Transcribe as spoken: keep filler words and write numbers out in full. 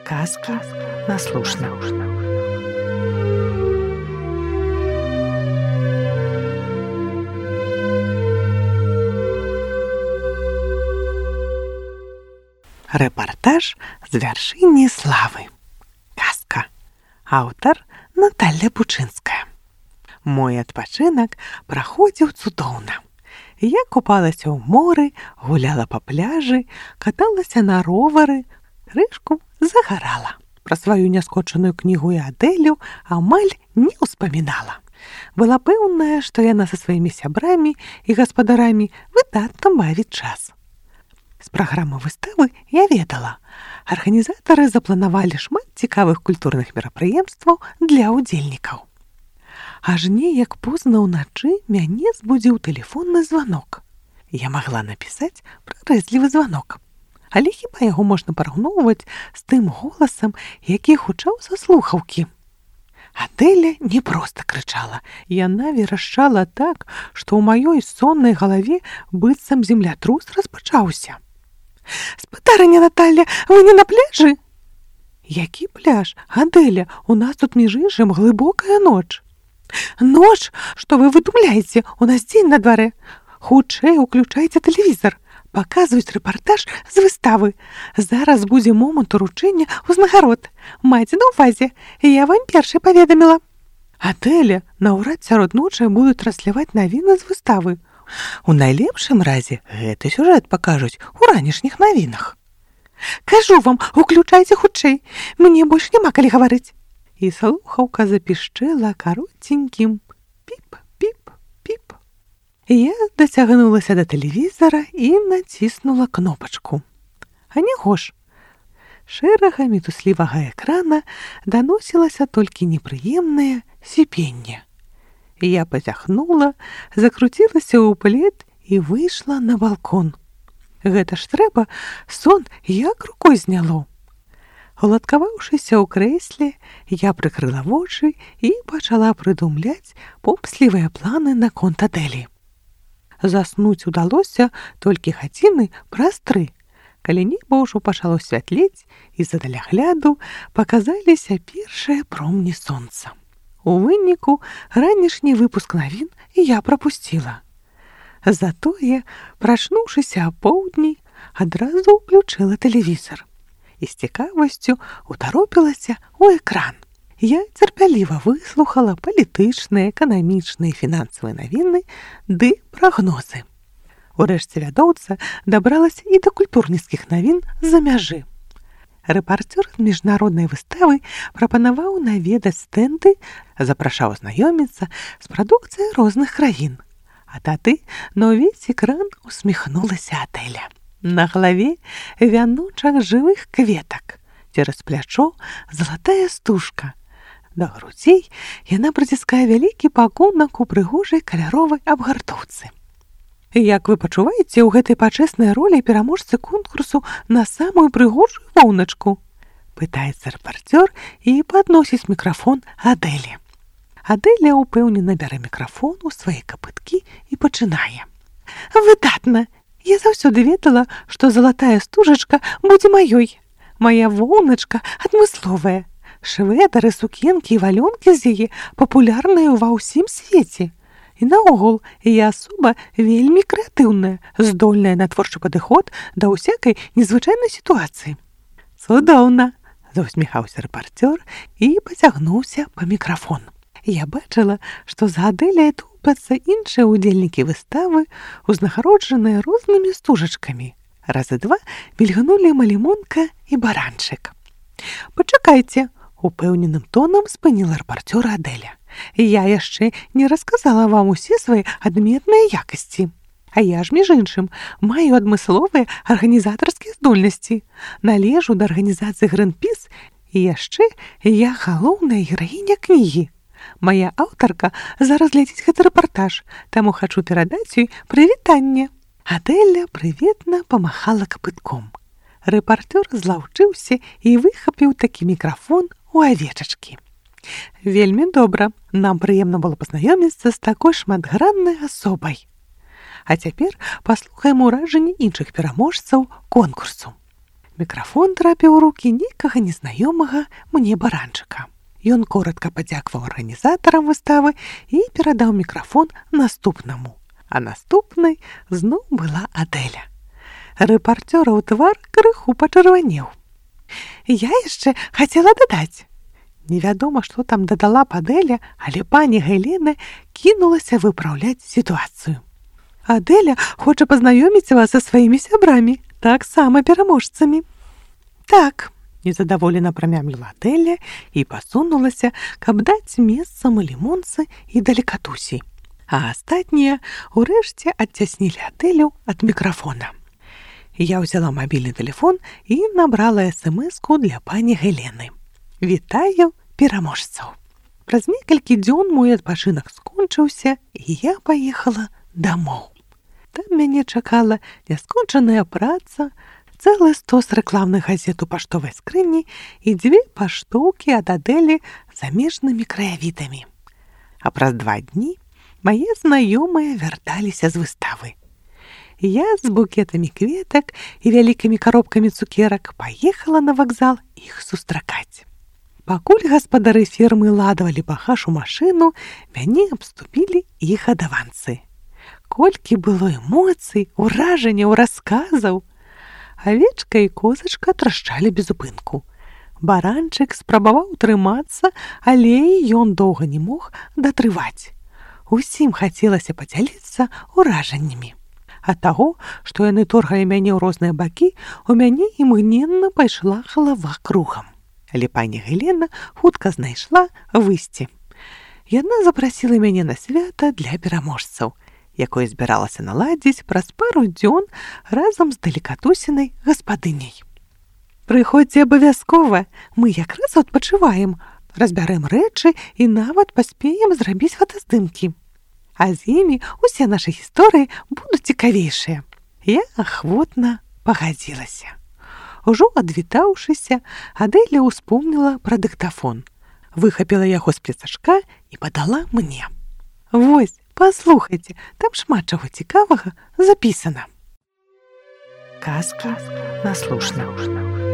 Сказки на слушна. Рэпартаж з вяршыні славы. Казка. Аўтар Наталля Бучынская. Мой адпачынак праходзіў цудоўна. Я купалася ў моры, гуляла па пляжы, каталася на ровары, крышку загарала. Пра сваю няскончаную кнігу і Адэлю амаль не ўспамінала. Была пэўная, што яна са сваімі сябрамі і гаспадарамі выдатна бавіць час. З праграмы выставы я ведала. Арганізатары запланавалі шмат цікавых культурных мерапрыемстваў для ўдзельнікаў. Аж неяк позна ўначы мяне збудзіў тэлефонны званок. Я магла напісаць прарэзлівы званок. Але хіба яго можна параўноўваць з тым голасам, які гучаў са слухаўкі? Адэля не проста крычала. Яна верашчала так, што ў маёй соннай галаве быццам землятрус распачаўся. «Спадарыня Наталля, вы не на пляжы?» «Які пляж? Адэля, у нас тут між іншым глыбокая ноч». «Ноч? Што вы выдумляеце? У нас дзень на дварэ. Хутчэй уключайце тэлевізар. Паказваюць рэпартаж з выставы. Зараз будзе момант уручэння ўзнагарод. Майце на ўвазе. Я вам першай паведаміла». «Адэля, наўрад сярод ночы будуць трансляваць навіны з выставы. У найлепшым разе гэты сюжэт пакажуць у ранішніх навінах». «Кажу вам, уключайце хутчэй. Мне больш няма калі гаварыць». І слухаўка запішчэла каротенькім піп-піп-піп. Я дацягнулася да тэлевізара і націснула кнопачку. А няго ж. Шэрага мітуслівага экрана даносілася толькі непрыемнае сіпенне. Я пазяхнула, закруцілася ў плед і выйшла на балкон. Гэта ж трэба, сон як рукой зняло. Уладкаваўшыся ў крэсле, я прыкрыла вочы і пачала прыдумляць помслівыя планы наконт Адэлі. Заснуць удалося толькі гадзіны праз тры, калі неба ўжо пачало святлець і з-за далягляду паказаліся першыя промні сонца. У выніку ранішні выпуск навін я прапусціла. Затое, прачнуўшыся апоўдні, адразу ўключыла тэлевізар і з цікавасцю утаропілася ў экран. Я цярпяліва выслухала палітычныя, эканамічныя, фінансавыя навіны ды прагнозы. Урэшце вядоўца дабралася і да культурніцкіх навін з-за мяжы. Рэпарцёр з міжнароднай выставы прапанаваў наведаць стэнды, запрашаў знаёміцца з прадукцыяй розных краін. А тады на ўвесь экран усміхнулася Адэля. На галаве вяночак жывых кветак, цераз плячо залатая стужка. Да грудзей яна прыціскае вялікі пакунак у прыгожай каляровай абгартоўцы. «Як вы пачуваеце ў гэтай пачэснай ролі пераможцы конкурсу на самую прыгожую воўначку?» Пытаецца рэпарцёр і падносіць мікрафон Адэлі. Адэля ўпэўнена бярэ мікрафон у свае капыткі і пачынае. «Выдатна! Я заўсёды ведала, што залатая стужачка будзе маёй. Мая воўначка адмысловая. Шведары, сукенкі і валёнкі з яе папулярныя ва ўсім свеце. І наогул, я асоба вельмі крэатыўная, здольная на творчы падыход да ўсякай незвычайнай сітуацыі». «Цудоўна!» – заусміхаўся рэпарцёр і пацягнуўся па мікрафон. Я бачыла, што за Адэлей тупяцца іншыя ўдзельнікі выставы, узнагароджаныя рознымі стужачкамі. Разы два мільганулі малімонка і баранчык. «Пачакайце!» – упэўненым тонам спыніла рэпарцёра Адэля. «Я яшчэ не расказала вам усе свае адметныя якасці. А я ж, між іншым, маю адмысловыя арганізатарскія здольнасці. Належу да арганізацыі Гринпіс і яшчэ я галоўная гераіня кнігі. Мая аўтарка зараз глядзіць гэты рэпартаж, таму хачу перадаць ёй прывітанне». Адэля прыветна памахала капытком. Рэпартёр злаўчыўся і выхапіў такі мікрафон у авечачкі. «Вельмі добра. Нам прыемна было пазнаёміцца з такой шматграннай асобай. А цяпер паслухаем уражанні іншых пераможцаў конкурсу. Мікрафон трапіў у рукі нейкага незнаёмага мне баранчыка. Ён коротка падзякаваў арганізатарам выставы і перадаў мікрафон наступнаму. А наступнай зноў была Адэля. Рэпарцёраў твар крыху пачырванеў. Я яшчэ хацела дадаць. Невядома, што там дадала б Адэля, але пані Гелена кінулася выпраўляць сітуацыю. Адэля хоча пазнаёміць вас са сваімі сябрамі, таксама пераможцамі. Так, незадаволена прамямліла Адэля і пасунулася, каб даць месца малімонцы і далекатусі. А астатнія ўрэшце адцяснілі Адэлю ад мікрафона. Я ўзяла мабільны тэлефон і набрала эс-эм-эску для пані Гелены. Вітаю пераможцаў. Праз некалькі дзён мой адпачынак скончыўся, і я паехала дамоў. Там мяне чакала няскончаная праца, цэлы стос рэкламных газет у паштовай скрыні і дзве паштоўкі ад Адэлі замежнымі краявідамі. А праз два дні мае знаёмыя вярталіся з выставы. Я з букетамі кветак і вялікімі каробкамі цукерак паехала на вакзал іх сустракаць. Пакуль гаспадары фермы ладавалі багаж у машыну, мяне абступілі іх адаванцы. Колькі было эмоцый, уражанняў, расказаў. Авечка і козачка трашчалі без упынку. Баранчык спрабаваў трымацца, але ён доўга не мог датрываць. Усім хацелася падзяліцца уражаннямі. Ад таго, што яны торгалі мяне ў розныя бакі, у мяне імгненна пайшла галава кругам. Але пані Гелена хутка знайшла выйсце. Яна запрасіла мяне на свята для пераможцаў, якое збіралася наладзіць праз пару дзён разам з далекатусінай гаспадыняй. Прыходзьце абавязкова, мы якраз адпачываем, разбярэм рэчы і нават паспеем зрабіць фотаздымкі. А з імі усе нашы гісторыі будуць цікавейшыя. Я ахвотна пагадзілася. Ужо адвітаўшыся, Адэля ўспомніла пра дыктафон, выхапіла яго з пляцашка і падала мне. Вось, паслухайце, там шмат чаго цікавага запісана. Казка наслушна.